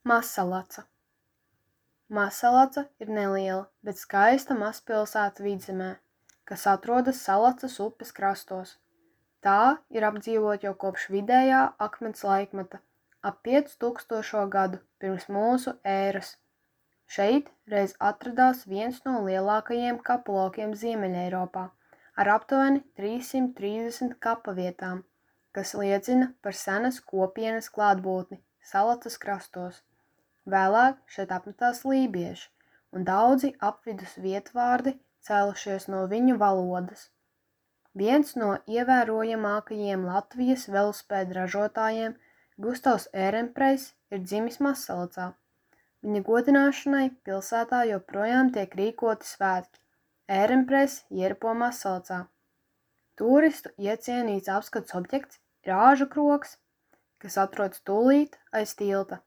Mazsalaca. Mazsalaca ir neliela, bet skaista mazpilsēta vidzemē, kas atrodas Salacas upes krastos. Tā ir apdzīvota jau kopš vidējā akmens laikmeta, ap 5000 gadu pirms mūsu ēras. Šeit reiz atradās viens no lielākajiem kaplokiem Ziemeļeiropā, ar aptuveni 330 kapavietām, kas liecina par senas kopienas klātbūtni Salacas krastos. Vēlāk šeit apmetās lībieši, un daudzi apvidus vietvārdi cēlušies no viņu valodas. Viens no ievērojamākajiem Latvijas velosipēdu ražotājiem, Gustavs Ērenpreis, ir dzimis Mazsalacā. Viņa godināšanai pilsētā joprojām tiek rīkoti svētki. Ērenpreis ieripo Mazsalacā. Turistu iecienīts apskats objekts ir āžu krogs, kas atrodas tūlīt aiz tilta.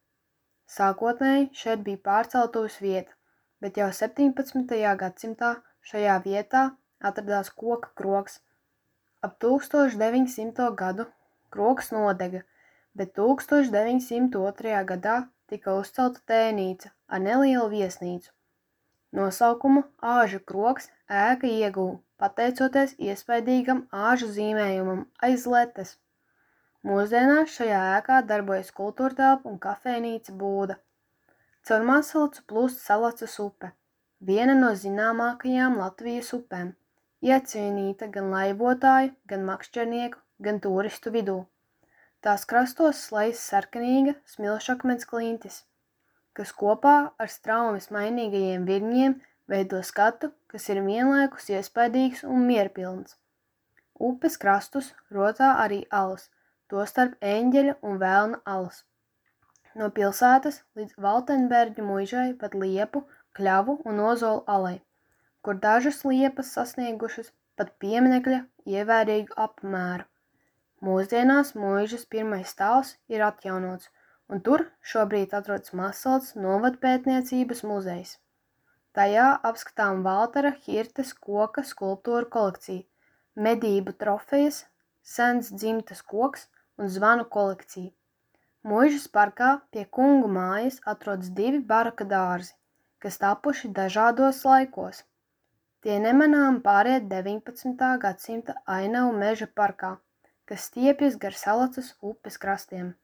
Sākotnēji šeit bija pārceltuves vieta, bet jau 17. gadsimtā šajā vietā atradās koka krogs. Ap 1900. gadu krogs nodega, bet 1902. gadā tika uzcelta tēnīca ar nelielu viesnīcu. Nosaukumu āžu krogs ēka ieguva, pateicoties iespaidīgam āžu zīmējumam aiz letes. Mūsdienās šajā ēkā darbojas kultūrtelpa un kafejnīca Būda. Caur Mazsalacu plūst Salacas upe, viena no zināmākajām Latvijas upēm, iecienīta gan laivotāju, gan makšķernieku, gan turistu vidū. Tās krastos slēdz sarkanīga smilšakmens klintis, kas kopā ar straumes mainīgajiem viļņiem veido skatu, kas ir vienlaikus iespaidīgs un mierpilns. Upes krastus rotā arī alas, tostarp Eņģeļa un Velna alas. No pilsētas līdz Valtenberģu muižai pat Liepu, Kļavu un Ozolu alai, kur dažas liepas sasniegušas pat pieminekļa ievērīgu apmēru. Mūsdienās muižas pirmais stāvs ir atjaunots, un tur šobrīd atrodas Mazsalacas novadpētniecības muzejs. Tajā apskatām Valtera Hirtes koka skulptūru kolekcija, medību trofejas, sens dzimtas koks un zvanu kolekcija. Muižas parkā pie kungu mājas atrodas 2 baraka dārzi, kas tapuši dažādos laikos. Tie nemanām pāriet 19. gadsimta ainavu meža parkā, kas stiepjas gar Salacas upes krastiem.